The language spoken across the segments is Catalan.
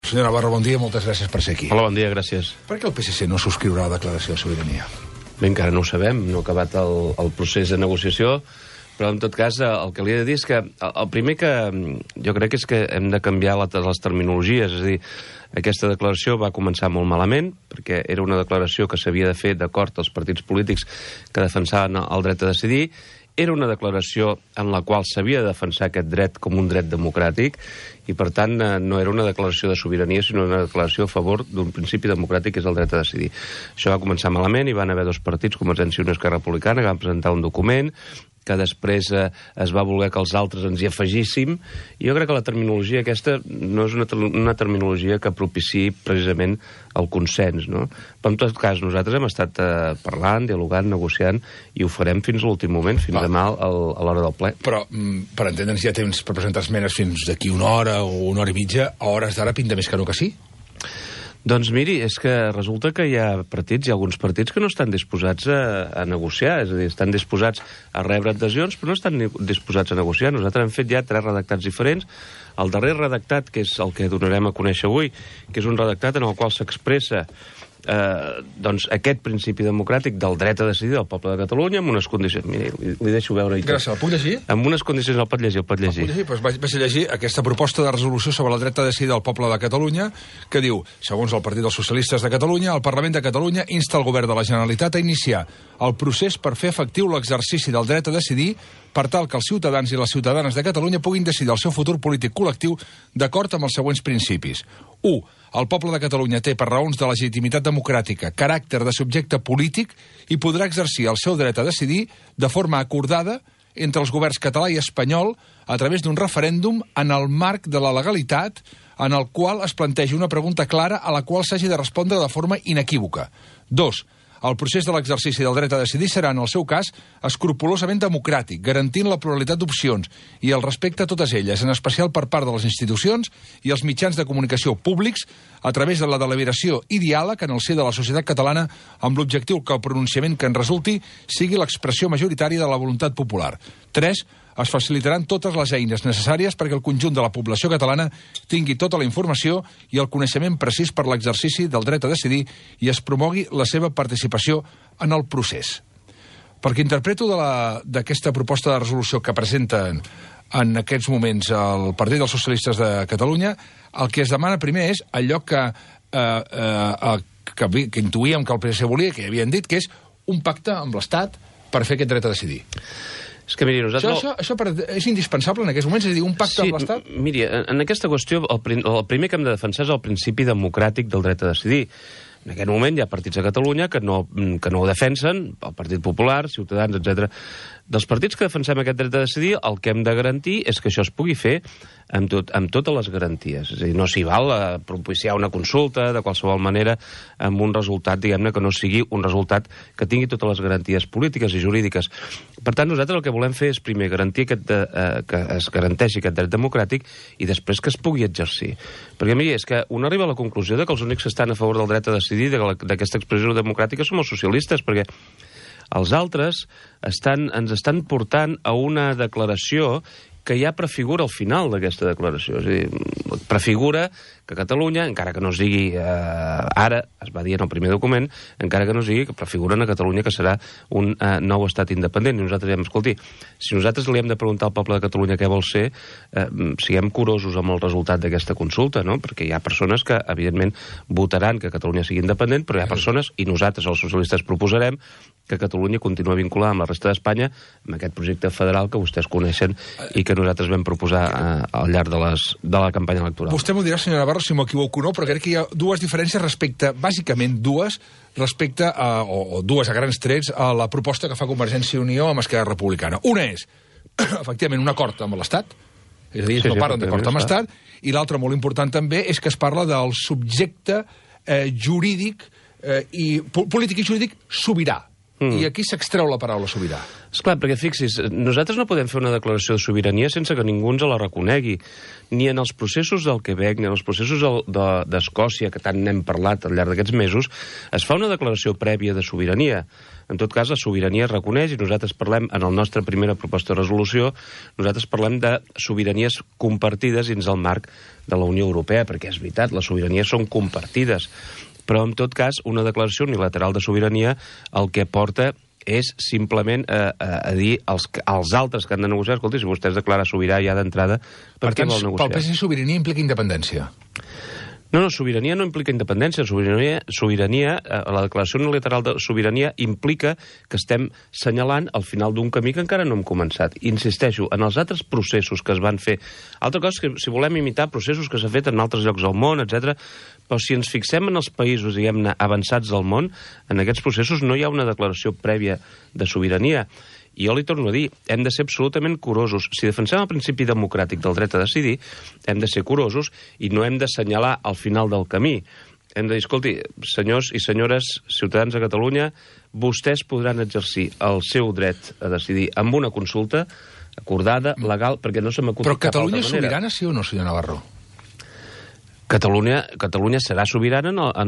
Senyor Navarro, bon dia, moltes gràcies per ser aquí. Hola, bon dia, gràcies. Per què el PSC no subscriurà la declaració de sobirania? Bé, encara no ho sabem, no ha acabat el procés de negociació, però en tot cas el que li he de dir és que el primer que jo crec és que hem de canviar les terminologies, és a dir, aquesta declaració va començar molt malament, perquè era una declaració que s'havia de fer d'acord als partits polítics que defensaven el dret a decidir. Era una declaració en la qual s'havia de defensar aquest dret com un dret democràtic i, per tant, no era una declaració de sobirania, sinó una declaració a favor d'un principi democràtic, que és el dret a decidir. Això va començar malament, hi van haver dos partits, Convergència i Unió i Esquerra Republicana, que van presentar un document que després es va voler que els altres ens hi afegíssim, i jo crec que la terminologia aquesta no és una terminologia que propiciï precisament el consens, no? Però en tot cas nosaltres hem estat parlant, dialogant, negociant, i ho farem fins a l'últim moment, fins demà a l'hora del ple. Però, per entendre'ns, ja tens per presentar esmenes fins d'aquí una hora o una hora i mitja, a hores d'ara pinta més que no que sí? Doncs miri, és que resulta que hi ha alguns partits que no estan disposats a negociar, és a dir, estan disposats a rebre adhesions, però no estan disposats a negociar. Nosaltres hem fet ja 3 redactats diferents. El darrer redactat, que és el que donarem a conèixer avui, que és un redactat en el qual s'expressa doncs aquest principi democràtic del dret a decidir del poble de Catalunya amb unes condicions... Miri, li deixo veure... Gràcies, el puc llegir? Amb unes condicions, el pot llegir. El puc llegir? Doncs vaig a llegir aquesta proposta de resolució sobre el dret a decidir del poble de Catalunya, que diu, segons el Partit dels Socialistes de Catalunya, el Parlament de Catalunya insta el govern de la Generalitat a iniciar el procés per fer efectiu l'exercici del dret a decidir per tal que els ciutadans i les ciutadanes de Catalunya puguin decidir el seu futur polític col·lectiu d'acord amb els següents principis. 1. El poble de Catalunya té, per raons de legitimitat democràtica, caràcter de subjecte polític i podrà exercir el seu dret a decidir de forma acordada entre els governs català i espanyol a través d'un referèndum en el marc de la legalitat en el qual es plantegi una pregunta clara a la qual s'hagi de respondre de forma inequívoca. 2. El procés de l'exercici del dret a decidir serà, en el seu cas, escrupolosament democràtic, garantint la pluralitat d'opcions i el respecte a totes elles, en especial per part de les institucions i els mitjans de comunicació públics, a través de la deliberació i diàleg en el si de la societat catalana, amb l'objectiu que el pronunciament que en resulti sigui l'expressió majoritària de la voluntat popular. 3. Es facilitaran totes les eines necessàries perquè el conjunt de la població catalana tingui tota la informació i el coneixement precís per l'exercici del dret a decidir i es promogui la seva participació en el procés. Perquè interpreto d'aquesta proposta de resolució que presenten en aquests moments el Partit dels Socialistes de Catalunya, el que es demana primer és allò que intuïem que el PSC volia, que ja havien dit, que és un pacte amb l'Estat per fer aquest dret a decidir. És que, miri, nosaltres... Això és indispensable en aquests moments? És a dir, un pacte amb l'Estat? Miri, en aquesta qüestió el primer que hem de defensar és el principi democràtic del dret a decidir. En aquest moment hi ha partits a Catalunya que no ho defensen, el Partit Popular, Ciutadans, etc. Dels partits que defensem aquest dret a decidir, el que hem de garantir és que això es pugui fer amb totes les garanties. És a dir, no s'hi val a propiciar una consulta de qualsevol manera amb un resultat, diguem-ne, que no sigui un resultat que tingui totes les garanties polítiques i jurídiques. Per tant, nosaltres el que volem fer és primer garantir que es garanteixi aquest dret democràtic i després que es pugui exercir. Perquè, miri, és que un arriba a la conclusió que els únics que estan a favor del dret a decidir d'aquesta expressió democràtica som els socialistes, perquè els altres ens estan portant a una declaració que ja prefigura el final d'aquesta declaració. És a dir, prefigura que Catalunya, encara que no es digui ara, es va dir en el primer document, encara que no es digui que prefiguren a Catalunya que serà un nou estat independent. I nosaltres diem, escolti, si nosaltres li hem de preguntar al poble de Catalunya què vol ser, siguem curosos amb el resultat d'aquesta consulta, no? Perquè hi ha persones que, evidentment, votaran que Catalunya sigui independent, però hi ha persones, i nosaltres, els socialistes, proposarem que Catalunya continua vinculada amb la resta d'Espanya amb aquest projecte federal que vostès coneixen i que nosaltres vam proposar al llarg de la campanya electoral. Vostè m'ho dirà, senyora Navarro, si m'equivoco o no, però crec que hi ha dues diferències bàsicament dues a grans trets, a la proposta que fa Convergència i Unió amb Esquerra Republicana. Una és, efectivament, un acord amb l'Estat, és a dir, no parlen d'acord amb l'Estat, i l'altra, molt important també, és que es parla del subjecte jurídic polític i jurídic sobirà. I aquí s'extreu la paraula sobirà. Esclar, perquè fixis, nosaltres no podem fer una declaració de sobirania sense que ningú ens la reconegui. Ni en els processos del Quebec, ni en els processos d'Escòcia, que tant n'hem parlat al llarg d'aquests mesos, es fa una declaració prèvia de sobirania. En tot cas, la sobirania es reconeix i nosaltres parlem, en la nostra primera proposta de resolució, nosaltres parlem de sobiranies compartides dins el marc de la Unió Europea, perquè és veritat, les sobiranies són compartides. Però, en tot cas, una declaració unilateral de sobirania el que porta és simplement a dir als altres que han de negociar, escolti, si vostè es declara sobirà ja d'entrada, per què vol negociar? Pel PSC sobirania implica independència. No, sobirania no implica independència. Sobirania, la declaració unilateral de sobirania implica que estem senyalant al final d'un camí que encara no hem començat. Insisteixo, en els altres processos que es van fer, altra cosa és que si volem imitar processos que s'ha fet en altres llocs del món, etc. Però si ens fixem en els països, diguem-ne, avançats del món, en aquests processos no hi ha una declaració prèvia de sobirania. I jo li torno a dir, hem de ser absolutament curosos. Si defensem el principi democràtic del dret a decidir, hem de ser curosos i no hem d'assenyalar al final del camí. Hem de dir, escolti, senyors i senyores ciutadans de Catalunya, vostès podran exercir el seu dret a decidir amb una consulta acordada, legal, perquè no se m'acut cap altra manera. Però Catalunya és sobirana, sí o no, senyor Navarro? Catalunya serà sobirana a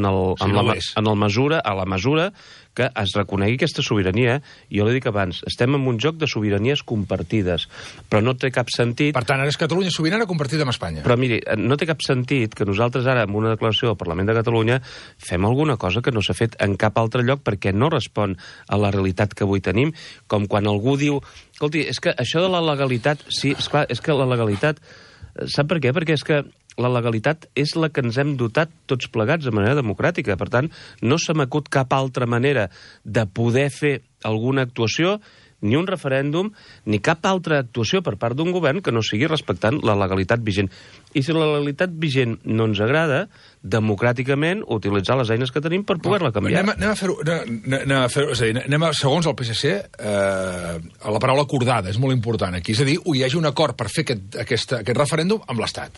la mesura que es reconegui aquesta sobirania. Jo li dic abans, estem en un joc de sobiranies compartides, però no té cap sentit... Per tant, ara és Catalunya sobirana compartida amb Espanya. Però miri, no té cap sentit que nosaltres ara, amb una declaració del Parlament de Catalunya, fem alguna cosa que no s'ha fet en cap altre lloc perquè no respon a la realitat que avui tenim, com quan algú diu... Escolti, és que això de la legalitat... Sí, esclar, és que la legalitat... Sap per què? Perquè és que la legalitat és la que ens hem dotat tots plegats de manera democràtica. Per tant, no se m'acut cap altra manera de poder fer alguna actuació, ni un referèndum, ni cap altra actuació per part d'un govern que no sigui respectant la legalitat vigent. I si la legalitat vigent no ens agrada, democràticament utilitzar les eines que tenim per poder-la canviar. Anem a segons el PSC, a la paraula acordada, és molt important aquí. És a dir, hi hagi un acord per fer aquest referèndum amb l'Estat.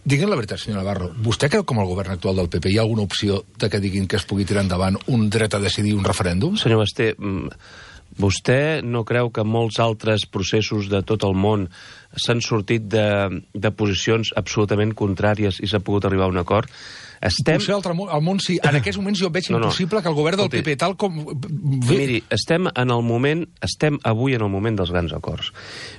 Digue'm la veritat, senyor Navarro, vostè creu que amb el govern actual del PP hi ha alguna opció de que diguin que es pugui tirar endavant un dret a decidir, un referèndum? Senyor Basté, vostè no creu que molts altres processos de tot el món s'han sortit de posicions absolutament contràries i s'ha pogut arribar a un acord? Potser al món sí. En aquests moments jo veig impossible que el govern del PP, tal com... Miri, estem avui en el moment dels grans acords.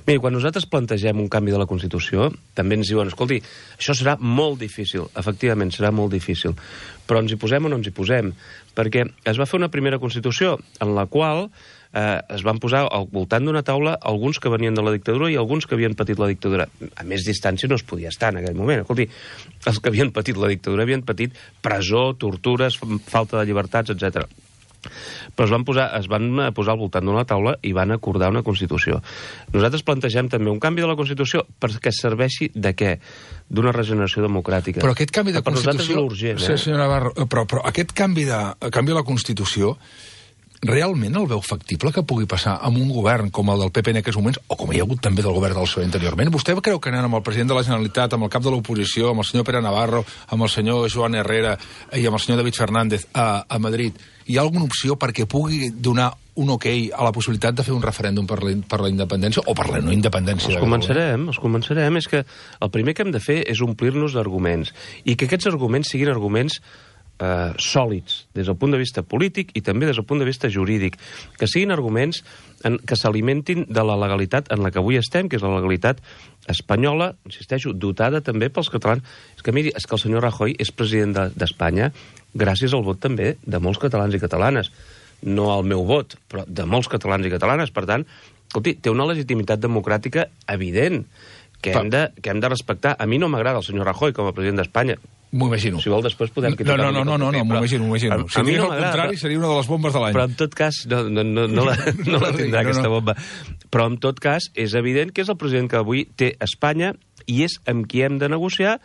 Miri, quan nosaltres plantegem un canvi de la Constitució, també ens diuen, escolti, això serà molt difícil. Efectivament, serà molt difícil. Però ens hi posem o no ens hi posem? Perquè es va fer una primera Constitució en la qual es van posar al voltant d'una taula alguns que venien de la dictadura i alguns que havien patit la dictadura. A més distància no es podia estar en aquell moment. Escolti, els que havien patit la dictadura havien patit presó, tortures, falta de llibertats, etc. Però es van posar al voltant d'una taula i van acordar una Constitució. Nosaltres plantegem també un canvi de la Constitució perquè serveixi de què? D'una regeneració democràtica. Però aquest canvi de Constitució... Urgent, sí, senyor Navarro, però aquest canvi de la Constitució realment el veu factible que pugui passar amb un govern com el del PP en aquests moments, o com hi ha hagut també del govern del PSOE anteriorment? Vostè creu que anant amb el president de la Generalitat, amb el cap de l'oposició, amb el senyor Pere Navarro, amb el senyor Joan Herrera i amb el senyor David Fernández a Madrid, hi ha alguna opció perquè pugui donar un ok a la possibilitat de fer un referèndum per la independència o per la no independència? Els començarem. És que el primer que hem de fer és omplir-nos d'arguments i que aquests arguments siguin arguments sòlids des del punt de vista polític i també des del punt de vista jurídic, que siguin arguments que s'alimentin de la legalitat en la que avui estem, que és la legalitat espanyola, insisteixo, dotada també pels catalans. És que miri, és que el senyor Rajoy és president d'Espanya gràcies al vot també de molts catalans i catalanes. No al meu vot, però de molts catalans i catalanes. Per tant, escolti, té una legitimitat democràtica evident que hem de respectar. A mi no m'agrada el senyor Rajoy com a president d'Espanya. M'ho imagino. Si vol, després podem criticar. No, m'ho imagino. Si digués el contrari, seria una de les bombes de l'any. Però en tot cas, no la tindrà aquesta bomba. Però en tot cas, és evident que és el president que avui té Espanya i és amb qui hem de negociar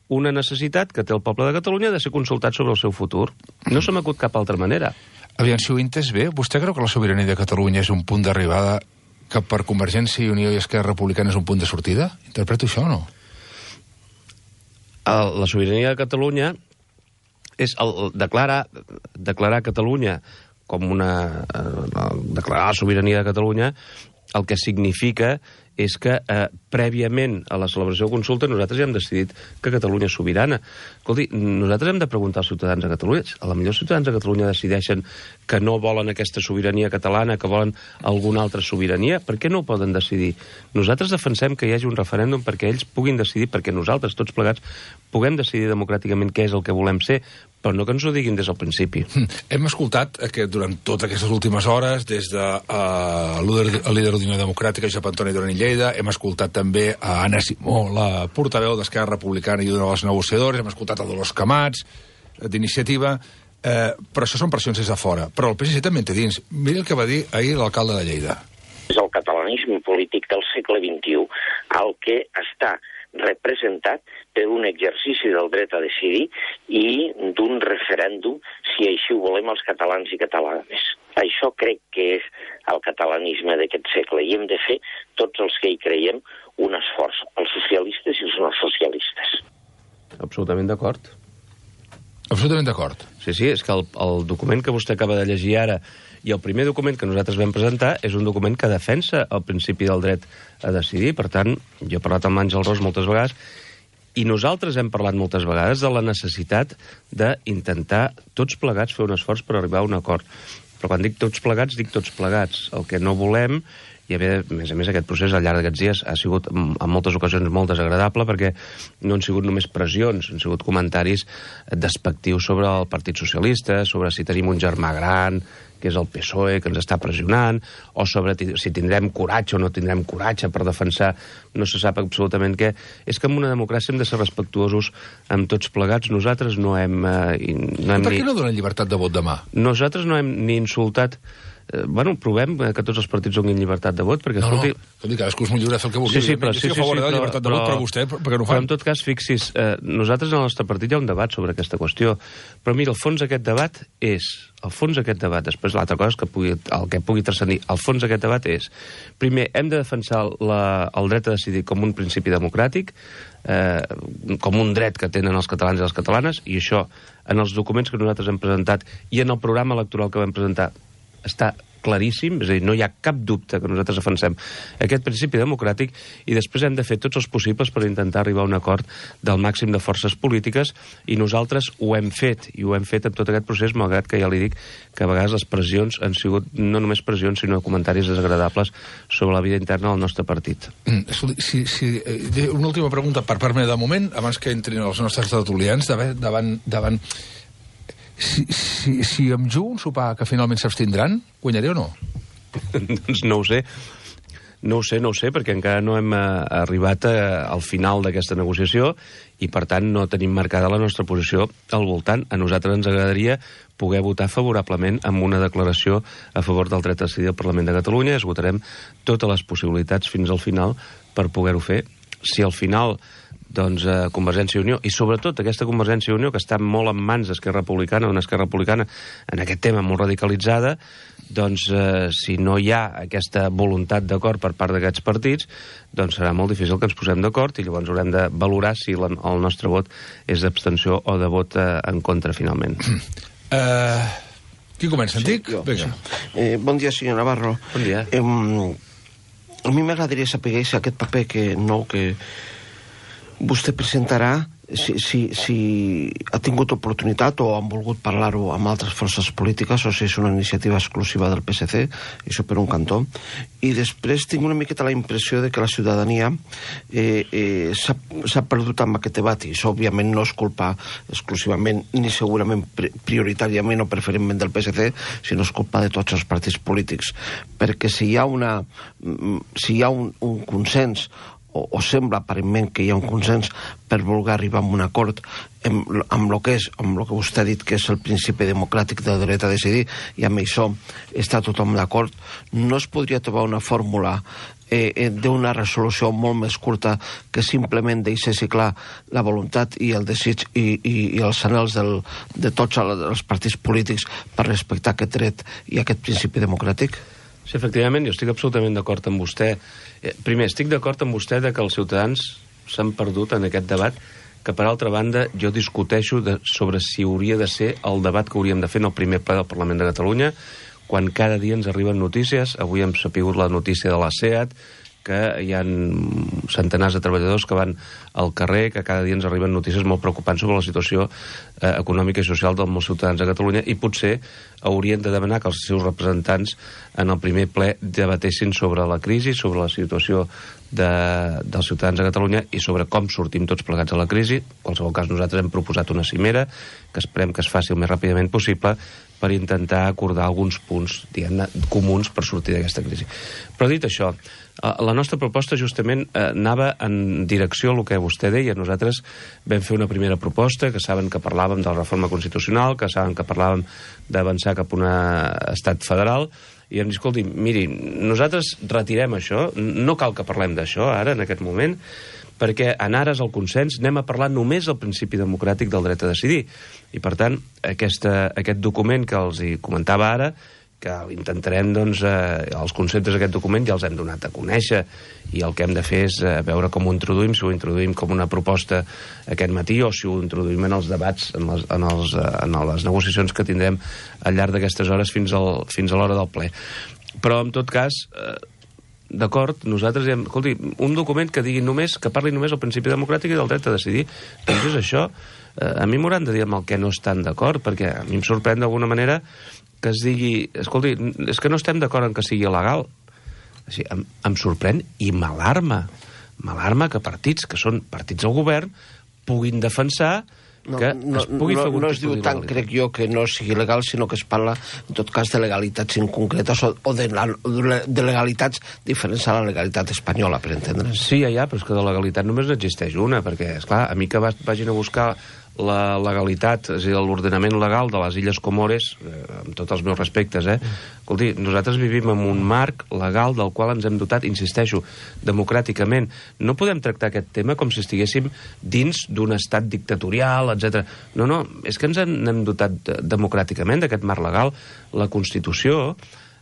una necessitat que té el poble de Catalunya de ser consultat sobre el seu futur. No se m'acut cap altra manera. Aviam, si ho he entès bé, vostè creu que la sobirania de Catalunya és un punt d'arribada que per Convergència i Unió i Esquerra Republicana és un punt de sortida? Interpreto això o no? La sobirania de Catalunya és declarar Catalunya com declarar la sobirania de Catalunya, el que significa és que prèviament a la celebració de consulta nosaltres ja hem decidit que Catalunya és sobirana. Escolti, nosaltres hem de preguntar als ciutadans de Catalunya. A la millor els ciutadans de Catalunya decideixen que no volen aquesta sobirania catalana, que volen alguna altra sobirania. Per què no ho poden decidir? Nosaltres defensem que hi hagi un referèndum perquè ells puguin decidir, perquè nosaltres, tots plegats, puguem decidir democràticament què és el que volem ser, però no que ens ho diguin des del principi. Hem escoltat que durant totes aquestes últimes hores, des de el líder d'Unió Democràtica, Josep Antoni Duran i Lleida, hem escoltat també a Anna Simó, la portaveu d'Esquerra Republicana i una de les negociadores, hem escoltat a Dolors Camats, d'Iniciativa, però això són pressions des de fora. Però el PSC també en té dins. Mira el que va dir ahir l'alcalde de Lleida. És el catalanisme polític del segle XXI el que està representat per un exercici del dret a decidir i d'un referèndum, si així ho volem els catalans i catalanes. Això crec que és el catalanisme d'aquest segle i hem de fer, tots els que hi creiem, un esforç, els socialistes i els no socialistes. Absolutament d'acord. Absolutament d'acord. Sí, és que el document que vostè acaba de llegir ara i el primer document que nosaltres vam presentar és un document que defensa el principi del dret a decidir. Per tant, jo he parlat amb l'Àngel Ros moltes vegades i nosaltres hem parlat moltes vegades de la necessitat d'intentar tots plegats fer un esforç per arribar a un acord. Però quan dic tots plegats. El que no volem, i a més a més aquest procés al llarg d'aquests dies ha sigut en moltes ocasions molt desagradable perquè no han sigut només pressions, han sigut comentaris despectius sobre el Partit Socialista, sobre si tenim un germà gran, que és el PSOE, que ens està pressionant, o sobre si tindrem coratge o no tindrem coratge per defensar no se sap absolutament què. És que en una democràcia hem de ser respectuosos amb tots plegats. Nosaltres no hem... Per què no donen llibertat de vot demà? Nosaltres no hem ni insultat... provem que tots els partits donin llibertat de vot, perquè, escolti... cadascú és molt lliure de fer el que vulgui. Sí, però... Jo estic a favor de la llibertat de vot, però vostè, per què no ho fan? Però en tot cas, fixis, nosaltres en el nostre partit hi ha un debat sobre aquesta qüestió, però mira, el fons d'aquest debat és... després l'altra cosa és que el que pugui transcendir, el fons d'aquest debat és, primer, hem de defensar el dret a decidir com un principi democràtic, com un dret que tenen els catalans i les catalanes, i això, en els documents que nosaltres hem presentat i en el programa electoral que vam presentar, està claríssim, és a dir, no hi ha cap dubte que nosaltres defensem aquest principi democràtic i després hem de fer tots els possibles per intentar arribar a un acord del màxim de forces polítiques i nosaltres ho hem fet, i ho hem fet en tot aquest procés, malgrat que ja li dic que a vegades les pressions han sigut no només pressions, sinó comentaris desagradables sobre la vida interna del nostre partit. Una última pregunta per part meva de moment, abans que entrin els nostres tertulians, davant Si em jugo un sopar que finalment s'abstindran, guanyaré o no? Doncs no ho sé. No ho sé, perquè encara no hem arribat al final d'aquesta negociació i, per tant, no tenim marcada la nostra posició al voltant. A nosaltres ens agradaria poder votar favorablement amb una declaració a favor del dret a decidir al Parlament de Catalunya. Esgotarem totes les possibilitats fins al final per poder-ho fer. Si al final Convergència i Unió, i sobretot aquesta Convergència i Unió, que està molt en mans d'Esquerra Republicana, una Esquerra Republicana en aquest tema molt radicalitzada, si no hi ha aquesta voluntat d'acord per part d'aquests partits, serà molt difícil que ens posem d'acord i llavors haurem de valorar si el nostre vot és d'abstenció o de vot en contra, finalment. Qui comença, Antic? Bon dia, senyor Navarro. Bon dia. A mi m'agradaria saber si aquest paper que vostè presentarà, si ha tingut oportunitat o han volgut parlar-ho amb altres forces polítiques o si és una iniciativa exclusiva del PSC, això per un cantó. I després tinc una miqueta la impressió de que la ciutadania s'ha perdut amb aquest debat, i això òbviament no és culpa exclusivament ni segurament prioritàriament o preferentment del PSC, sinó és culpa de tots els partits polítics, perquè si hi ha un consens o sembla aparentment que hi ha un consens per voler arribar a un acord amb el que vostè ha dit que és el principi democràtic del dret a decidir, i amb això està tothom d'acord, no es podria trobar una fórmula d'una resolució molt més curta que simplement deixessi clar la voluntat i el desig i els anhels de tots els partits polítics per respectar aquest dret i aquest principi democràtic? Sí, efectivament, jo estic absolutament d'acord amb vostè. Primer, estic d'acord amb vostè que els ciutadans s'han perdut en aquest debat que, per altra banda, jo discuteixo sobre si hauria de ser el debat que hauríem de fer en el primer ple del Parlament de Catalunya, quan cada dia ens arriben notícies. Avui hem sapigut la notícia de la SEAT, que hi ha centenars de treballadors que van al carrer, que cada dia ens arriben notícies molt preocupants sobre la situació econòmica i social dels molts ciutadans de Catalunya, i potser haurien de demanar que els seus representants en el primer ple debatessin sobre la crisi, sobre la situació dels ciutadans de Catalunya i sobre com sortim tots plegats a la crisi. En qualsevol cas, nosaltres hem proposat una cimera que esperem que es faci el més ràpidament possible per intentar acordar alguns punts, diguem-ne, comuns per sortir d'aquesta crisi. Però dit això, la nostra proposta justament anava en direcció al que vostè deia. Nosaltres vam fer una primera proposta, que saben que parlàvem de la reforma constitucional, que saben que parlàvem d'avançar cap a un estat federal, i hem dit, escolti, miri, nosaltres retirem això, no cal que parlem d'això ara, en aquest moment, perquè en ares el consens anem a parlar només del principi democràtic del dret a decidir. I, per tant, aquest document que els hi comentava ara, que intentarem, doncs, els conceptes d'aquest document ja els hem donat a conèixer, i el que hem de fer és veure com ho introduïm, si ho introduïm com una proposta aquest matí o si ho introduïm en els debats, en les negociacions que tindrem al llarg d'aquestes hores fins a l'hora del ple. Però, en tot cas, d'acord, nosaltres hem... Escolti, un document que digui només, que parli només del principi democràtic i del dret a decidir, doncs és això. A mi m'hauran de dir amb el que no estan d'acord, perquè a mi em sorprèn d'alguna manera que es digui, escolti, és que no estem d'acord en que sigui legal. Així, em sorprèn i m'alarma que partits, que són partits del govern, puguin defensar que es pugui fer algun no es diu tant, crec jo, que no sigui legal, sinó que es parla, en tot cas, de legalitats inconcretes o de legalitats diferents a la legalitat espanyola, per entendre's. Sí, ja, però és que de legalitat només n'existeix una, perquè, esclar, a mi que vagin a buscar la legalitat, és a dir, l'ordenament legal de les Illes Comores, amb tots els meus respectes, escolti, nosaltres vivim en un marc legal del qual ens hem dotat, insisteixo, democràticament. No podem tractar aquest tema com si estiguéssim dins d'un estat dictatorial, etc. No, és que ens hem dotat democràticament d'aquest marc legal. La Constitució,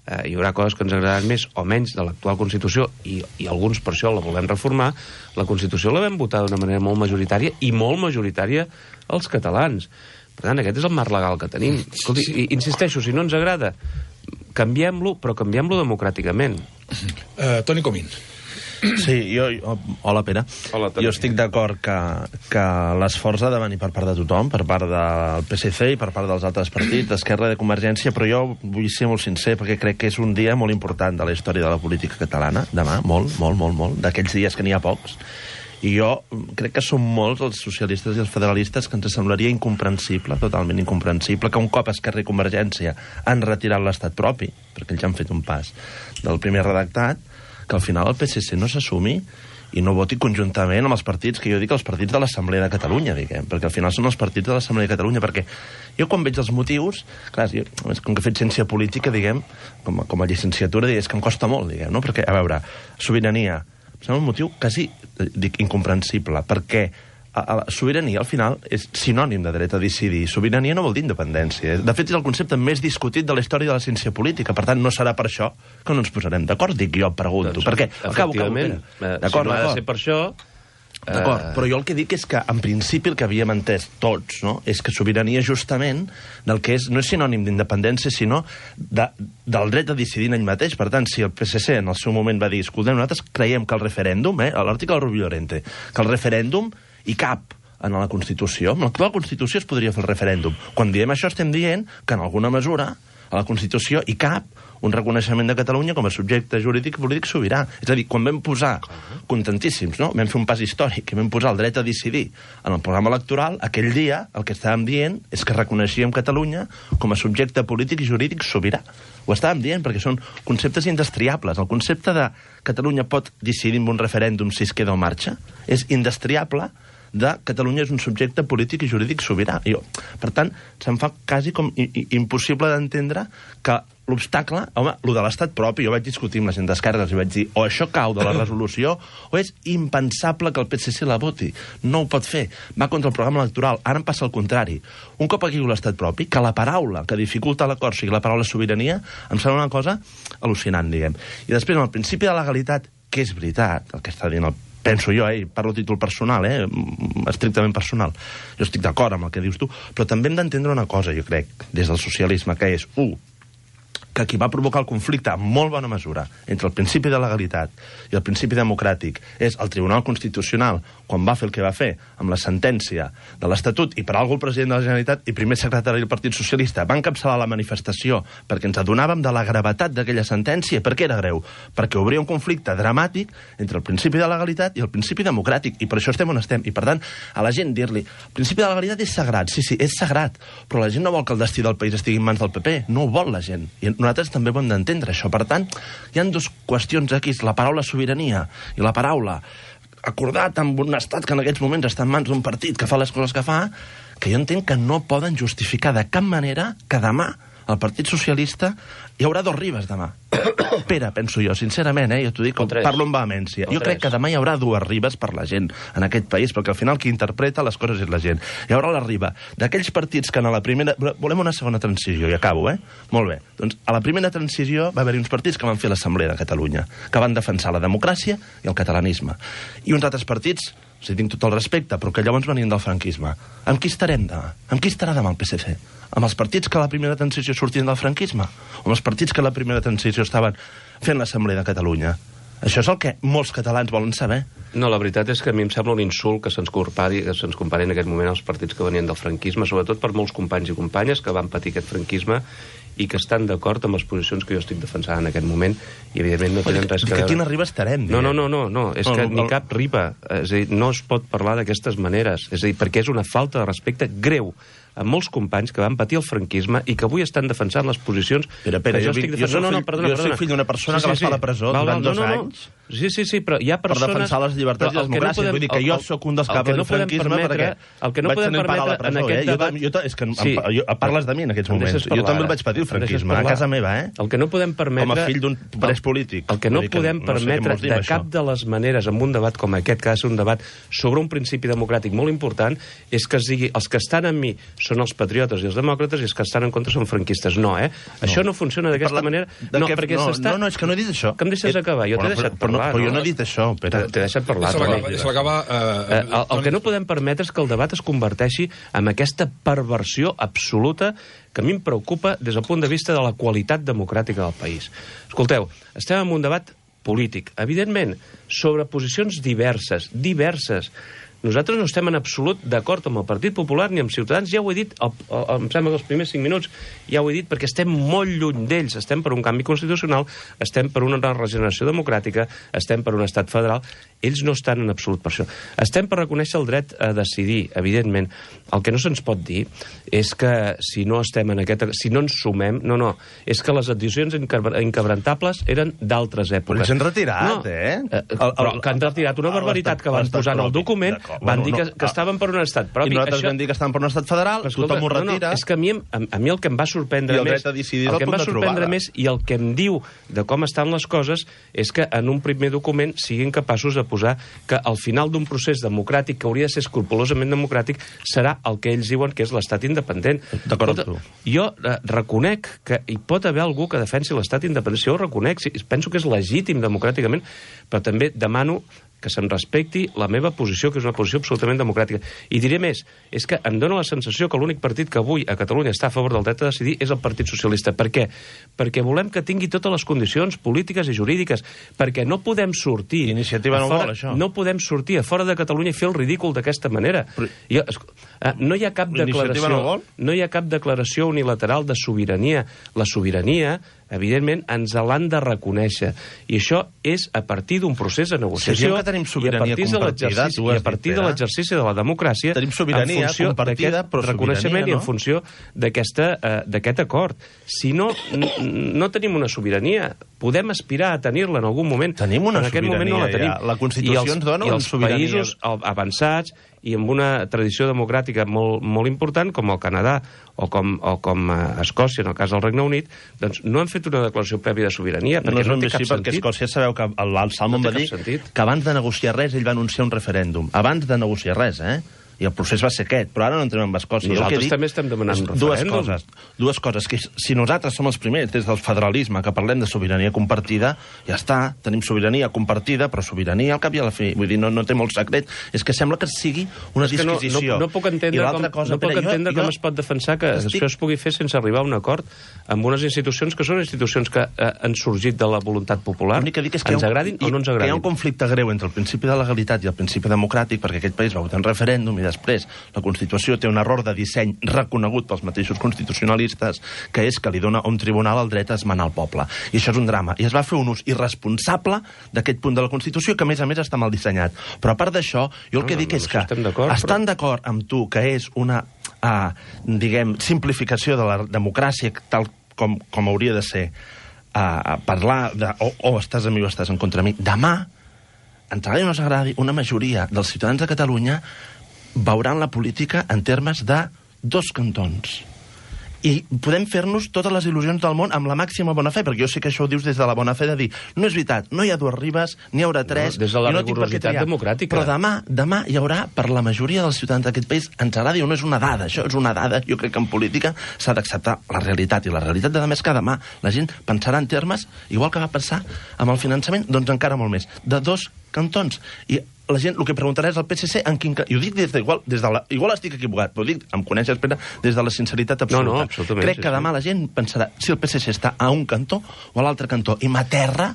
hi haurà coses que ens agradaran més o menys de l'actual Constitució, i alguns per això la volem reformar. La Constitució la vam votar d'una manera molt majoritària, i molt majoritària els catalans. Per tant, aquest és el marc legal que tenim. Escolti, insisteixo, si no ens agrada, canviem-lo, però canviem-lo democràticament. Toni Comín. Sí, hola, Pere. Hola, jo estic d'acord que l'esforç ha de venir per part de tothom, per part del PSC i per part dels altres partits, d'Esquerra i de Convergència, però jo vull ser molt sincer, perquè crec que és un dia molt important de la història de la política catalana, demà, molt, d'aquells dies que n'hi ha pocs. I jo crec que som molts els socialistes i els federalistes que ens semblaria incomprensible, totalment incomprensible, que un cop Esquerra i Convergència han retirat l'estat propi, perquè ells han fet un pas del primer redactat, que al final el PSC no s'assumi i no voti conjuntament amb els partits, que jo dic els partits de l'Assemblea de Catalunya, diguem, perquè al final són els partits de l'Assemblea de Catalunya, perquè jo quan veig els motius, clar, com que he fet ciència política, diguem, com a llicenciatura, és que em costa molt, diguem, no? Perquè, a veure, sobirania, sembla un motiu quasi, dic, incomprensible, perquè la sobirania, al final, és sinònim de dret a decidir. Sobirania no vol dir independència. De fet, és el concepte més discutit de la història de la ciència política. Per tant, no serà per això que no ens posarem d'acord, dic jo, pregunto. Doncs, perquè, efectivament, si no ha de ser per això... D'acord, però jo el que dic és que, en principi, el que havíem entès tots, no?, és que sobirania, justament, del que és, no és sinònim d'independència, sinó del dret a decidir en ell mateix. Per tant, si el PSC en el seu moment va dir, escoltem, nosaltres creiem que el referèndum, a l'article del Rubio Llorente, que el referèndum hi cap en la Constitució. En l'actual Constitució es podria fer el referèndum. Quan diem això estem dient que, en alguna mesura, a la Constitució hi cap un reconeixement de Catalunya com a subjecte jurídic i polític sobirà. És a dir, quan vam posar, contentíssims, no?, vam fer un pas històric i vam posar el dret a decidir en el programa electoral, aquell dia el que estàvem dient és que reconeixíem Catalunya com a subjecte polític i jurídic sobirà. Ho estàvem dient perquè són conceptes indestriables. El concepte de Catalunya pot decidir amb un referèndum si es queda o marxa és indestriable de Catalunya és un subjecte polític i jurídic sobirà. Per tant, se'm fa quasi com impossible d'entendre que l'obstacle, home, el de l'estat propi, jo vaig discutir amb la gent d'Esquerra i vaig dir, o això cau de la resolució, o és impensable que el PSC la voti. No ho pot fer. Va contra el programa electoral. Ara em passa el contrari. Un cop aquí l'estat propi, que la paraula que dificulta l'acord sigui la paraula sobirania, em sembla una cosa al·lucinant, diguem. I després, amb el principi de legalitat, que és veritat, el que està dient el penso jo, parlo a títol personal, estrictament personal. Jo estic d'acord amb el que dius tu, però també hem d'entendre una cosa, jo crec, des del socialisme, que és, que qui va provocar el conflicte en molt bona mesura entre el principi de legalitat i el principi democràtic és el Tribunal Constitucional, quan va fer el que va fer amb la sentència de l'Estatut, i per algú el president de la Generalitat i primer secretari del Partit Socialista van encapçalar la manifestació perquè ens adonàvem de la gravetat d'aquella sentència. Per què era greu? Perquè obria un conflicte dramàtic entre el principi de legalitat i el principi democràtic, i per això estem on estem. I per tant, a la gent dir-li, el principi de legalitat és sagrat, sí, és sagrat, però la gent no vol que el destí del país estigui en mans del PP, no ho vol la gent, i nosaltres també ho hem d'entendre, això. Per tant, hi ha dues qüestions aquí, la paraula sobirania i la paraula acordat amb un estat que en aquests moments està en mans d'un partit que fa les coses que fa, que jo entenc que no poden justificar de cap manera que demà el Partit Socialista hi haurà dos Ribes demà. Pere, penso jo, sincerament, jo t'ho dic, parlo amb vehemència. Jo crec que demà hi haurà dues Ribes per la gent en aquest país, perquè al final qui interpreta les coses és la gent. Hi haurà la Riba d'aquells partits que en la primera... Volem una segona transició, i acabo, Molt bé. Doncs a la primera transició va haver-hi uns partits que van fer l'Assemblea de Catalunya, que van defensar la democràcia i el catalanisme. I uns altres partits, si tinc tot el respecte, però que llavors venien del franquisme. Amb qui estarem demà? Amb qui estarà demà el PSC? Amb els partits que a la primera transició sortien del franquisme? O amb els partits que a la primera transició estaven fent l'Assemblea de Catalunya? Això és el que molts catalans volen saber. No, la veritat és que a mi em sembla un insult que se'ns compari en aquest moment als partits que venien del franquisme, sobretot per molts companys i companyes que van patir aquest franquisme i que estan d'acord amb les posicions que jo estic defensant en aquest moment, i evidentment no tenen res que veure. Que quina riba estarem? No, és que ni cap riba. És a dir, no es pot parlar d'aquestes maneres. És a dir, perquè és una falta de respecte greu a molts companys que van patir el franquisme i que avui estan defensant les posicions que jo estic defensant. Jo soc fill d'una persona que va estar a la presó durant 2 anys. Sí, però hi ha persones... Per defensar les llibertats i les democràcies. Vull dir que jo sóc un dels caps del franquisme perquè vaig tenir part a la presó. És que parles de mi en aquests moments. Jo també el vaig patir, el franquisme, a casa meva, El que no podem permetre... Com a fill d'un pres polític. El que no podem permetre de cap de les maneres en un debat com aquest, que ha de ser un debat sobre un principi democràtic molt important, és que es digui els que estan amb mi són els patriotes i els demòcrates i els que estan en contra són franquistes. No, Això no funciona d'aquesta manera. No, és que no he dit això. Que em deixes acabar. Jo t'he deixat parlar. Però jo no he dit això, Pere. T'he deixat parlar. El que no podem permetre és que el debat es converteixi en aquesta perversió absoluta que a mi em preocupa des del punt de vista de la qualitat democràtica del país. Escolteu, estem en un debat polític, evidentment, sobre posicions diverses. Nosaltres no estem en absolut d'acord amb el Partit Popular ni amb Ciutadans, ja ho he dit, em sembla que els primers 5 minuts ja ho he dit, perquè estem molt lluny d'ells, estem per un canvi constitucional, estem per una regeneració democràtica, estem per un estat federal, ells no estan en absolut per això. Estem per reconèixer el dret a decidir, evidentment. El que no se'ns pot dir és que si no estem en si no ens sumem, és que les decisions inquebrantables eren d'altres èpoques. Però ells han retirat, Però que han retirat una barbaritat que van posar en el document. Van dir que estaven per un estat propi. I nosaltres vam dir que estaven per un estat federal, tothom ho retira. És que a mi el que em va sorprendre més... El que em va sorprendre més i el que em diu de com estan les coses és que en un primer document siguin capaços de posar que al final d'un procés democràtic que hauria de ser escrupolosament democràtic serà el que ells diuen que és l'estat independent. D'acord amb tu. Jo reconec que hi pot haver algú que defensi l'estat independent. Jo ho reconec, penso que és legítim democràticament, però també demano que se'm respecti la meva posició, que és una posició absolutament democràtica. I diré més, és que em dóna la sensació que l'únic partit que avui a Catalunya està a favor del dret a decidir és el Partit Socialista. Per què? Perquè volem que tingui totes les condicions polítiques i jurídiques, perquè no podem sortir... Iniciativa no vol, això. No podem sortir a fora de Catalunya i fer el ridícul d'aquesta manera. No hi ha cap declaració... No hi ha cap declaració unilateral de sobirania. La sobirania, evidentment, ens l'han de reconèixer. I això és a partir d'un procés de negociació i a partir de l'exercici de la democràcia tenim sobirania compartida, però reconeixement i en funció d'aquest acord. Si no, no tenim una sobirania. Podem aspirar a tenir-la en algun moment. Tenim una sobirania, ja. La Constitució ens dona una sobirania. I els països avançats i amb una tradició democràtica molt important, com el Canadà o com Escòcia, en el cas del Regne Unit, doncs no han fet una declaració prèvia de sobirania, perquè no té cap sentit. Perquè Escòcia, sabeu que el Salmon va dir que abans de negociar res ell va anunciar un referèndum. Abans de negociar res, I el procés va ser aquest, però ara no entrem en Escòcia. Nosaltres també estem demanant un referèndum. Dues coses, que si nosaltres som els primers des del federalisme que parlem de sobirania compartida, ja està, tenim sobirania compartida, però sobirania al cap i a la fi. Vull dir, no té molt secret. És que sembla que sigui una disquisició. No puc entendre com es pot defensar que això es pugui fer sense arribar a un acord amb unes institucions que són institucions que han sorgit de la voluntat popular, ens agradin o no ens agradin. Que hi ha un conflicte greu entre el principi de legalitat i el principi democràtic, perquè aquest país va votar en referèndum i després la Constitució té un error de disseny reconegut pels mateixos constitucionalistes, que és que li dona a un tribunal el dret a esmenar el poble. I això és un drama. I es va fer un ús irresponsable d'aquest punt de la Constitució, que a més està mal dissenyat. Però a part d'això, jo el que dic és que estan d'acord amb tu que és una, diguem, simplificació de la democràcia tal com hauria de ser, parlar de o estàs amb mi o estàs en contra mi. Demà, ens agradi o no ens agradi, una majoria dels ciutadans de Catalunya veuran la política en termes de 2 cantons. I podem fer-nos totes les il·lusions del món amb la màxima bona fe, perquè jo sé que això ho dius des de la bona fe de dir, no és veritat, no hi ha 2 ribes, n'hi haurà 3... Des de la rigorositat democràtica. Però demà hi haurà, per la majoria dels ciutadans d'aquest país, ens agradi o no és una dada, això és una dada, jo crec que en política s'ha d'acceptar la realitat, i la realitat de demà és que demà la gent pensarà en termes, igual que va pensar amb el finançament, doncs encara molt més, de 2 cantons. I la gent el que preguntarà és al PSC en quin... I ho dic igual estic equivocat, però ho dic, em coneixes, Pere, des de la sinceritat absoluta. No, absolutament. Crec que demà la gent pensarà si el PSC està a un cantó o a l'altre cantó. I m'aterra,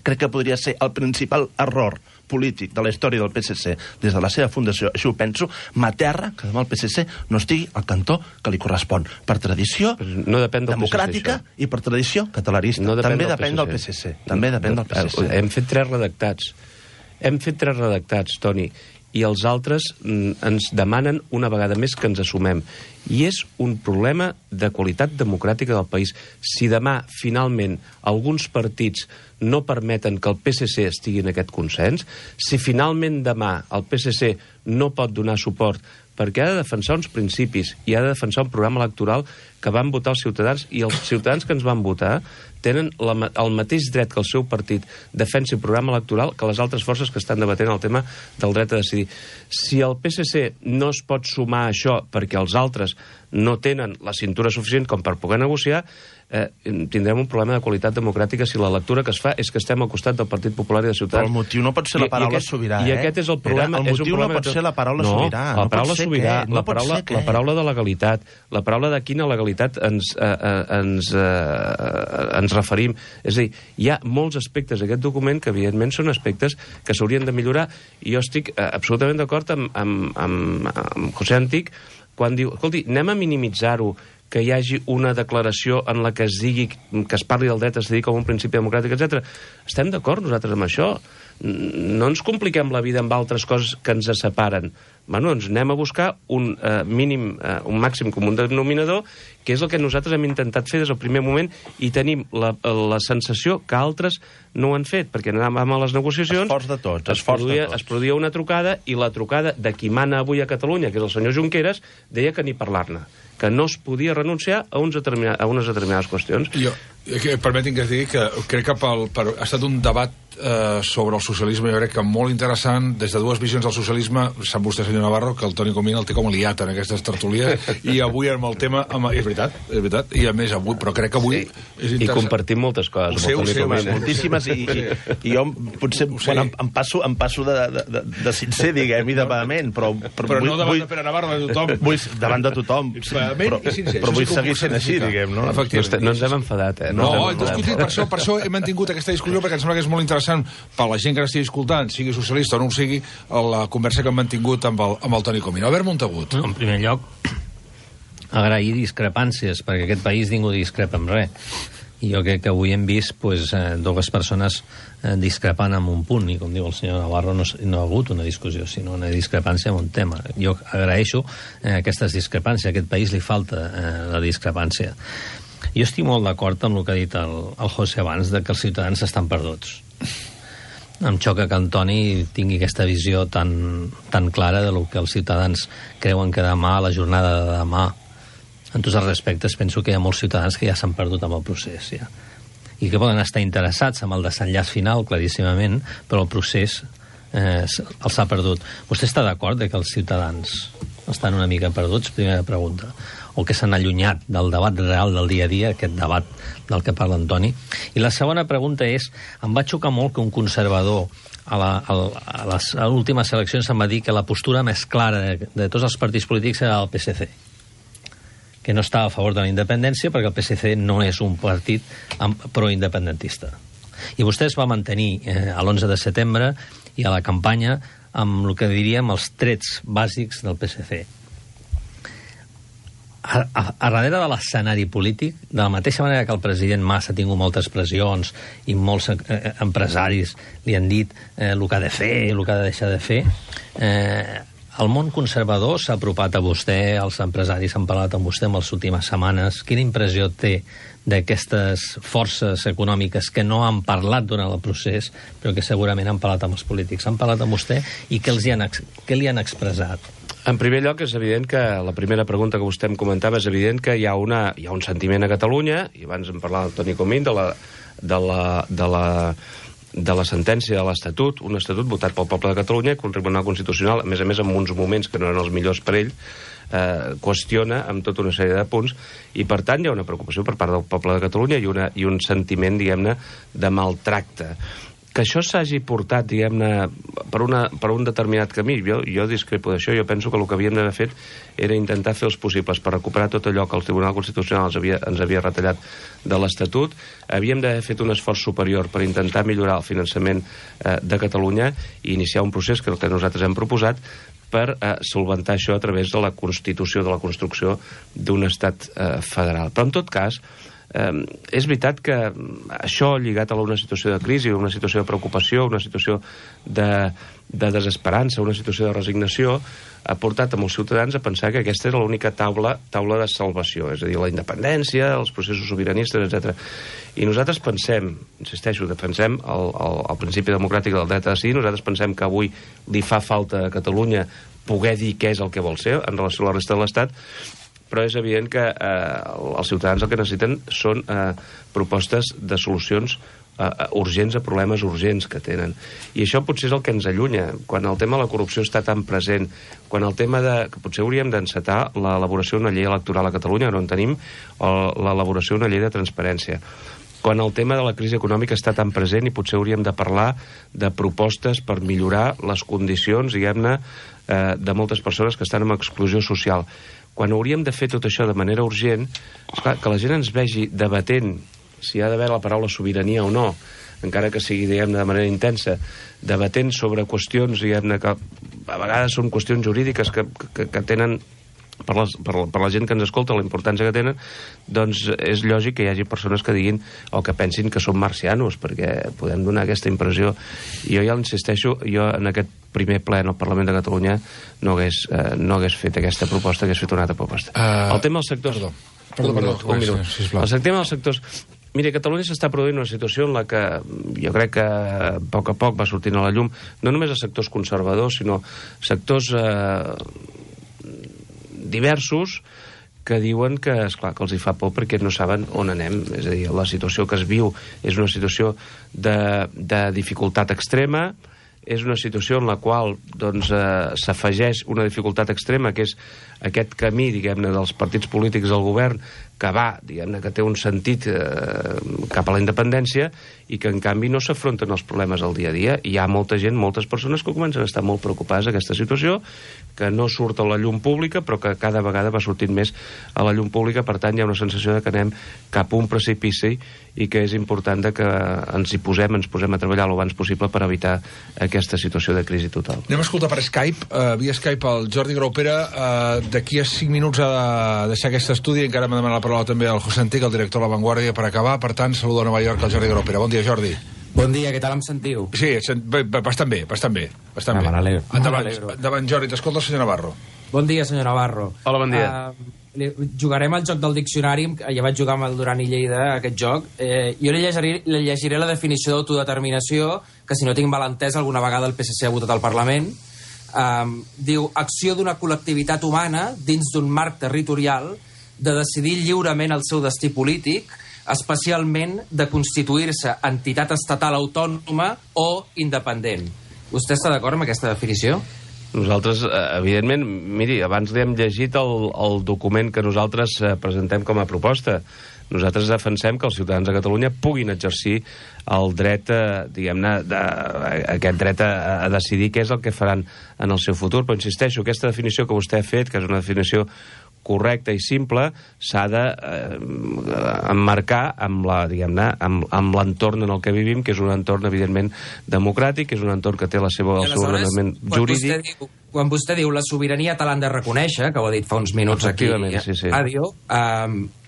crec que podria ser el principal error polític de la història del PSC des de la seva fundació, així ho penso, m'aterra que demà el PSC no estigui al cantó que li correspon. Per tradició democràtica i per tradició catalanista. També depèn del PSC. També depèn del PSC. Hem fet 3 redactats, Toni, i els altres ens demanen una vegada més que ens assumem. I és un problema de qualitat democràtica del país. Si demà, finalment, alguns partits no permeten que el PSC estigui en aquest consens, si finalment demà el PSC no pot donar suport perquè ha de defensar uns principis i ha de defensar un programa electoral que van votar els ciutadans, i els ciutadans que ens van votar tenen el mateix dret que el seu partit defensi el programa electoral que les altres forces que estan debatent el tema del dret a decidir. Si el PSC no es pot sumar a això perquè els altres no tenen la cintura suficient com per poder negociar, tindrem un problema de qualitat democràtica si la lectura que es fa és que estem al costat del Partit Popular i de Ciutadans. Però el motiu no pot ser la paraula sobirà, I aquest és el problema. El motiu no pot ser la paraula sobirà. La paraula sobirà, la paraula de legalitat, la paraula de quina legalitat ens referim. És a dir, hi ha molts aspectes d'aquest document que evidentment són aspectes que s'haurien de millorar, i jo estic absolutament d'acord amb José Antic quan diu, escolti, anem a minimitzar-ho, que hi hagi una declaració en la que es digui, que es parli del dret a decidir com un principi democràtic, etc. Estem d'acord nosaltres amb això? No ens compliquem la vida amb altres coses que ens separen. Bueno, doncs anem a buscar un màxim comú denominador, que és el que nosaltres hem intentat fer des del primer moment, i tenim la sensació que altres no ho han fet, perquè anàvem a les negociacions, esforç de tots. Es produïa una trucada, i la trucada de qui mana avui a Catalunya, que és el senyor Junqueras, deia que ni parlar-ne, que no es podia renunciar a unes determinades qüestions. Permetin que es digui que crec que ha estat un debat sobre el socialisme, jo crec que molt interessant, des de 2 visions del socialisme. Sap vostè, senyor Navarro, que el Toni Comín el té com liat en aquestes tertúlies, i avui amb el tema... És veritat, i a més avui, però crec que avui és interessant. I compartim moltes coses amb el Toni Comín. Moltíssimes, i jo potser em passo de sincer, diguem, i de vehement, però no davant de Pere Navarro, de tothom. Davant de tothom, però vull seguir sent així, diguem, no? No ens hem enfadat, No, hem discutit, per això hem mantingut aquesta discussió, perquè em sembla que és molt interessant per la gent que n'estigui escoltant, sigui socialista o no ho sigui, la conversa que hem mantingut amb el Toni Comín. Albert Montagut. En primer lloc, agrair discrepàncies, perquè aquest país ningú discrepa amb res. I jo crec que avui hem vist dues persones discrepant en un punt, i com diu el senyor Navarro, no ha hagut una discussió, sinó una discrepància en un tema. Jo agraeixo aquestes discrepàncies. A aquest país li falta la discrepància. Jo estic molt d'acord amb el que ha dit el José abans, de que els ciutadans estan perduts. Em xoca que en Toni tingui aquesta visió tan clara de lo que els ciutadans creuen que demà, la jornada de demà. En tots els respectes, penso que hi ha molts ciutadans que ja s'han perdut amb el procés, ja. I que poden estar interessats en el desenllaç final, claríssimament, però el procés els ha perdut. Vostè està d'acord que els ciutadans estan una mica perduts? Primera pregunta. O que s'han allunyat del debat real del dia a dia, aquest debat del que parla Antoni. I la segona pregunta és, em va xocar molt que un conservador a les últimes eleccions em va dir que la postura més clara de tots els partits polítics era el PSC, que no estava a favor de la independència perquè el PSC no és un partit proindependentista. I vostè es va mantenir a l'11 de setembre i a la campanya amb el que diríem els trets bàsics del PSC. A darrere de l'escenari polític, de la mateixa manera que el president Mas ha tingut moltes pressions i molts empresaris li han dit el que ha de fer, el que ha de deixar de fer, el món conservador s'ha apropat a vostè, els empresaris han parlat amb vostè en les últimes setmanes. Quina impressió té d'aquestes forces econòmiques que no han parlat durant el procés, però que segurament han parlat amb els polítics? Han parlat amb vostè i què li han expressat? En primer lloc, és evident que la primera pregunta que vostè em comentava és evident que hi ha un sentiment a Catalunya, i abans em parlava el Toni Comín de la sentència de l'Estatut, un estatut votat pel poble de Catalunya, que un Tribunal Constitucional, a més en uns moments que no eren els millors per ell, qüestiona amb tota una sèrie de punts, i per tant hi ha una preocupació per part del poble de Catalunya i un sentiment, diguem-ne, de maltracte. Que això s'hagi portat, diguem-ne, per un determinat camí, jo discrepo d'això. Jo penso que el que havíem d'haver fet era intentar fer els possibles per recuperar tot allò que el Tribunal Constitucional ens havia retallat de l'Estatut. Havíem d'haver fet un esforç superior per intentar millorar el finançament de Catalunya i iniciar un procés que nosaltres hem proposat per solventar això a través de la constitució, de la construcció d'un estat federal. Però en tot cas, és veritat que això lligat a una situació de crisi, una situació de preocupació, una situació de desesperança, una situació de resignació, ha portat a molts ciutadans a pensar que aquesta era l'única taula de salvació, és a dir, la independència, els processos sobiranistes, etc. I nosaltres pensem, insisteixo, defensem el principi democràtic del dret a decidir. Nosaltres pensem que avui li fa falta a Catalunya poder dir què és el que vol ser en relació a la resta de l'Estat, però és evident que els ciutadans el que necessiten són propostes de solucions urgents a problemes urgents que tenen. I això potser és el que ens allunya. Quan el tema de la corrupció està tan present, quan el tema que potser hauríem d'encetar l'elaboració d'una llei electoral a Catalunya, que no en tenim, o l'elaboració d'una llei de transparència. Quan el tema de la crisi econòmica està tan present i potser hauríem de parlar de propostes per millorar les condicions, diguem-ne, de moltes persones que estan en exclusió social. Quan hauríem de fer tot això de manera urgent, esclar, que la gent ens vegi debatent si hi ha d'haver la paraula sobirania o no, encara que sigui, diguem-ne, de manera intensa, debatent sobre qüestions, diguem-ne, que a vegades són qüestions jurídiques que tenen, per la gent que ens escolta, la importància que tenen, doncs és lògic que hi hagi persones que diguin o que pensin que som marcianos, perquè podem donar aquesta impressió. I jo ja insisteixo, jo en aquest primer ple en el Parlament de Catalunya no hagués fet aquesta proposta, hagués fet una altra proposta. El tema dels sectors... Perdó, un minut. Sisplau. El tema dels sectors... Mira, a Catalunya s'està produint una situació en la que jo crec que a poc va sortint a la llum, no només els sectors conservadors, sinó sectors diversos que diuen que, esclar, que els hi fa por perquè no saben on anem. És a dir, la situació que es viu és una situació de dificultat extrema, és una situació en la qual doncs, s'afegeix una dificultat extrema, que és aquest camí, diguem-ne, dels partits polítics del govern, que va, diguem-ne, que té un sentit cap a la independència i que, en canvi, no s'afronten els problemes del dia a dia. Hi ha molta gent, moltes persones que comencen a estar molt preocupades d'aquesta situació, que no surt a la llum pública, però que cada vegada va sortint més a la llum pública. Per tant, hi ha una sensació de que anem cap a un precipici i que és important que ens posem a treballar el abans possible per evitar aquesta situació de crisi total. Anem a escoltar per Skype, via Skype, el Jordi Graupera. D'aquí a 5 minuts ha de deixar aquest estudi. Encara m'ha demanat la paraula també el José Antic, el director de La Vanguardia, per acabar. Per tant, saludo a Nova York al Jordi Graupera. Bon dia, Jordi. Bon dia, què tal em sentiu? Sí, bastant bé. Me n'alegro. Endavant, Jordi, t'escolta el senyor Navarro. Bon dia, senyor Navarro. Hola, bon dia. Jugarem al joc del diccionari, ja vaig jugar amb el Duran i Lleida, aquest joc. Jo li llegiré la definició d'autodeterminació, que si no tinc mal entès, alguna vegada el PSC ha votat al Parlament. Diu, acció d'una col·lectivitat humana dins d'un marc territorial de decidir lliurement el seu destí polític, especialment de constituir-se entitat estatal autònoma o independent. Vostè està d'acord amb aquesta definició? Nosaltres, evidentment, miri, abans li hem llegit el document que nosaltres presentem com a proposta. Nosaltres defensem que els ciutadans de Catalunya puguin exercir el dret, diguem-ne, aquest dret a decidir què és el que faran en el seu futur. Però insisteixo, aquesta definició que vostè ha fet, que és una definició correcta i simple, s'ha d'emmarcar amb l'entorn en el que vivim, que és un entorn, evidentment, democràtic, que és un entorn que té el seu ordenament jurídic. Quan vostè diu la sobirania te l'han de reconèixer, que ho ha dit fa uns minuts aquí a ràdio,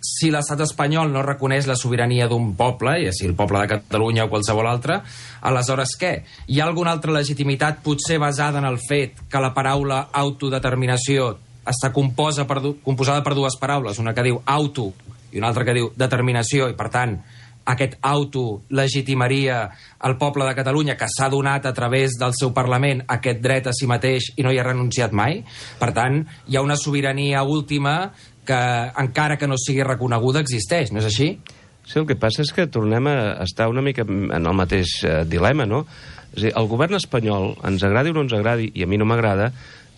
si l'estat espanyol no reconeix la sobirania d'un poble, ja sigui el poble de Catalunya o qualsevol altre, aleshores què? Hi ha alguna altra legitimitat potser basada en el fet que la paraula autodeterminació està composada per dues paraules, una que diu auto i una altra que diu determinació, i per tant aquest auto legitimaria el poble de Catalunya, que s'ha donat a través del seu Parlament aquest dret a si mateix i no hi ha renunciat mai. Per tant, hi ha una sobirania última que, encara que no sigui reconeguda, existeix, no és així? Sí, el que passa és que tornem a estar una mica en el mateix dilema, no? És a dir, el govern espanyol, ens agradi o no ens agradi, i a mi no m'agrada,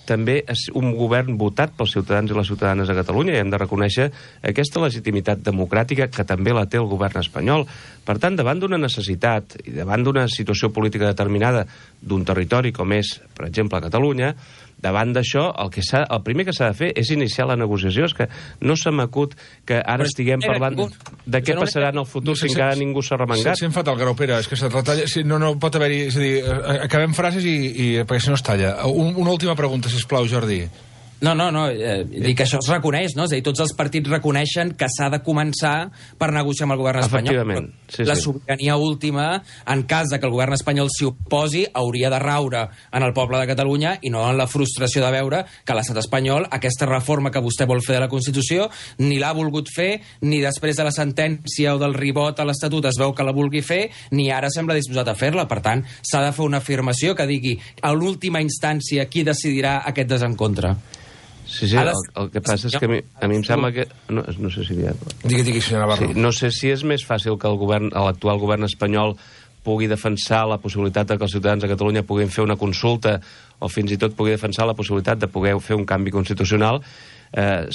també és un govern votat pels ciutadans i les ciutadanes de Catalunya, i hem de reconèixer aquesta legitimitat democràtica que també la té el govern espanyol. Per tant, davant d'una necessitat i davant d'una situació política determinada d'un territori com és, per exemple, Catalunya, davant d'això, el primer que s'ha de fer és iniciar la negociació. És que no se m'acut que ara estiguem parlant de què passarà en el futur si encara ningú s'ha remengat. Si em fa tal, Grau, Pere, és que se't retalla... No pot haver-hi... És a dir, acabem frases perquè si no es talla. Una última pregunta, sisplau, Jordi. No, dic que això es reconeix, no? És a dir, tots els partits reconeixen que s'ha de començar per negociar amb el govern espanyol. Efectivament, sí. La sobirania última, en cas de que el govern espanyol s'hi oposi, hauria de raure en el poble de Catalunya i no en la frustració de veure que l'estat espanyol, aquesta reforma que vostè vol fer de la Constitució, ni l'ha volgut fer, ni després de la sentència o del ribot a l'Estatut es veu que la vulgui fer, ni ara sembla disposat a fer-la. Per tant, s'ha de fer una afirmació que digui a l'última instància qui decidirà aquest desencontre. Sí, el que passa és que a mi em sembla que... No sé si... Digui, senyor Navarro. Sí, no sé si és més fàcil que l'actual govern espanyol pugui defensar la possibilitat que els ciutadans de Catalunya puguin fer una consulta o fins i tot pugui defensar la possibilitat de poder fer un canvi constitucional.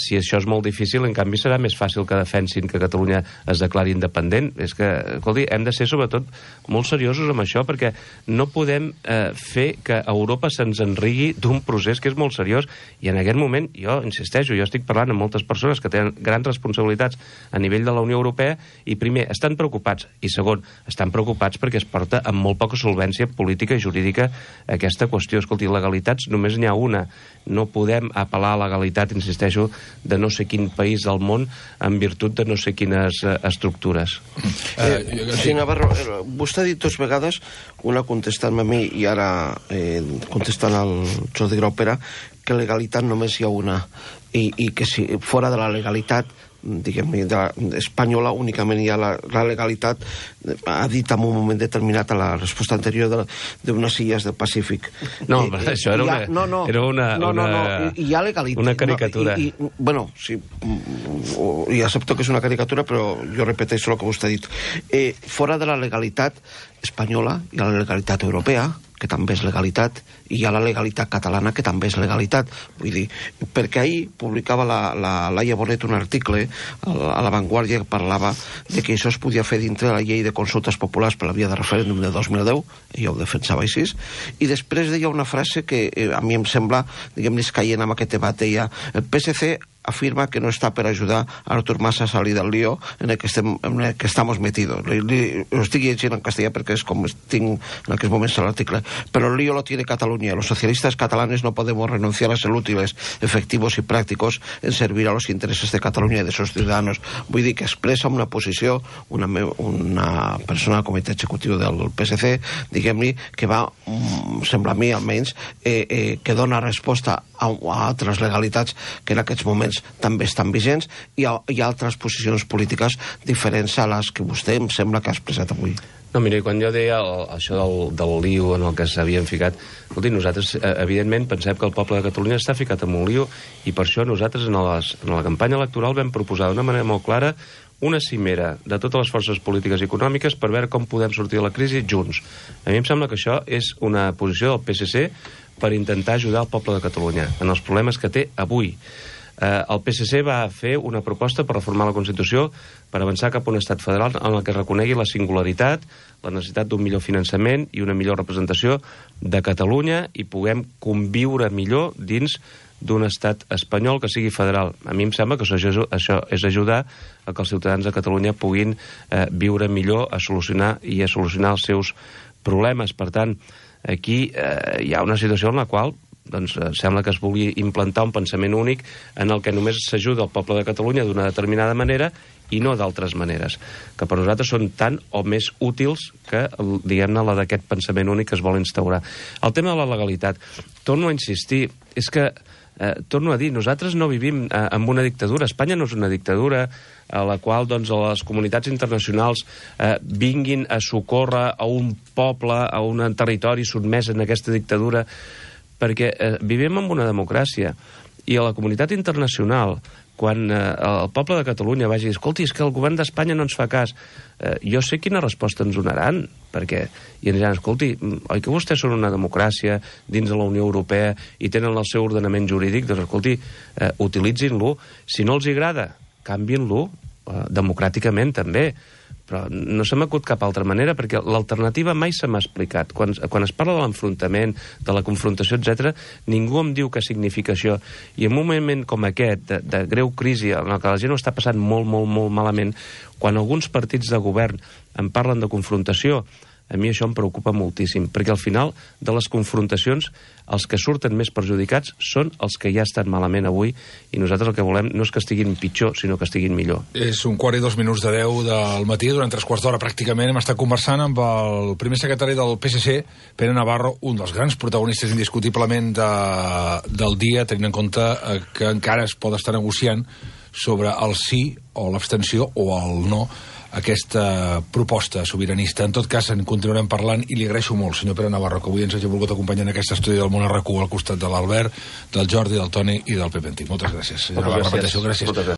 Si això és molt difícil, en canvi serà més fàcil que defensin que Catalunya es declari independent. És que, escolti, hem de ser sobretot molt seriosos amb això, perquè no podem fer que Europa se'ns enrigui d'un procés que és molt seriós, i en aquest moment, jo insisteixo, jo estic parlant amb moltes persones que tenen grans responsabilitats a nivell de la Unió Europea, i primer, estan preocupats, i segon, estan preocupats perquè es porta amb molt poca solvència política i jurídica aquesta qüestió. Escolti, legalitats només n'hi ha una. No podem apel·lar a legalitat, insisteixo, de no sé quin país del món en virtut de no sé quines estructures. Sí, Navarro, vostè ha dit dues vegades, una contestant-me a mi i ara contestant al Jordi Grau Pere, que legalitat només hi ha una, i que si fora de la legalitat diguem-ne, espanyola únicament hi ha la legalitat, ha dit en un moment determinat a la resposta anterior d'unes illes del Pacífic. No, això era hi ha legalitat. Una caricatura. Bueno, sí, i accepto que és una caricatura, però jo repeteixo el que vostè ha dit. Fora de la legalitat espanyola hi ha la legalitat europea, que també és legalitat, i hi ha la legalitat catalana, que també és legalitat. Vull dir, perquè ahir publicava la Laia Bonet un article a La Vanguardia que parlava de que això es podia fer dintre de la llei de consultes populars per la via de referèndum de 2010, i jo ho defensava així, i després deia una frase que a mi em sembla, diguem-ne, caient en aquest debat, deia, el PSC afirma que no está para ayudar a Artur Mas a salir del lío en el que estamos metidos. Lo estoy llegint en castellà perquè és com tinc en aquests moments l'article. Pero el lío lo tiene Cataluña. Los socialistas catalanes no podemos renunciar a ser útiles, efectivos y prácticos en servir a los intereses de Cataluña y de sus ciudadanos. Vull dir que expressa una posició una persona del comitè executiu del PSC, diguem-ne, que va, sembla a mi almenys, que dona resposta a altres legalitats que en aquests moments també estan vigents, i altres posicions polítiques diferents a les que vostè em sembla que ha expressat avui. No, mira, quan jo deia això del lío en el que s'havien ficat, escolti, nosaltres, evidentment, pensem que el poble de Catalunya està ficat en un lío, i per això nosaltres en la campanya electoral vam proposar d'una manera molt clara una cimera de totes les forces polítiques i econòmiques per veure com podem sortir de la crisi junts. A mi em sembla que això és una posició del PSC per intentar ajudar el poble de Catalunya en els problemes que té avui. El PSC va fer una proposta per reformar la Constitució per avançar cap a un estat federal en el que reconegui la singularitat, la necessitat d'un millor finançament i una millor representació de Catalunya i puguem conviure millor dins d'un estat espanyol que sigui federal. A mi em sembla que això és ajudar a que els ciutadans de Catalunya puguin viure millor a solucionar els seus problemes. Per tant, aquí hi ha una situació en la qual sembla que es vulgui implantar un pensament únic en el que només s'ajuda el poble de Catalunya d'una determinada manera i no d'altres maneres, que per nosaltres són tan o més útils que, diguem-ne, la d'aquest pensament únic que es vol instaurar. El tema de la legalitat, torno a insistir, és que, torno a dir, nosaltres no vivim en una dictadura, Espanya no és una dictadura a la qual les comunitats internacionals vinguin a socórrer a un poble, a un territori sotmès en aquesta dictadura, perquè vivim en una democràcia i a la comunitat internacional, quan el poble de Catalunya vagi a dir, escolti, és que el govern d'Espanya no ens fa cas, jo sé quina resposta ens donaran, perquè i ens diran, escolti, oi que vostès són una democràcia dins de la Unió Europea i tenen el seu ordenament jurídic? Doncs escolti, utilitzin-lo. Si no els agrada, canviïn-lo, democràticament també. Però no se m'acut cap altra manera, perquè l'alternativa mai se m'ha explicat. Quan es parla de l'enfrontament, de la confrontació, etc., ningú em diu què significa això. I en un moment com aquest, de greu crisi, en què la gent ho està passant molt, molt, molt malament, quan alguns partits de govern en parlen de confrontació, a mi això em preocupa moltíssim, perquè al final de les confrontacions els que surten més perjudicats són els que ja estan malament avui i nosaltres el que volem no és que estiguin pitjor, sinó que estiguin millor. És 1:15 del matí, durant 3/4 d'hora pràcticament hem estat conversant amb el primer secretari del PSC, Pere Navarro, un dels grans protagonistes indiscutiblement del dia, tenint en compte que encara es pot estar negociant sobre el sí o l'abstenció o el no aquesta proposta sobiranista. En tot cas, en continuarem parlant i li agraeixo molt, senyor Pere Navarro, que avui ens hagi volgut acompanyar en aquest estudi del Món RQ al costat de l'Albert, del Jordi, del Toni i del Pepe Antic. Moltes gràcies. Senyor Navarro, gràcies.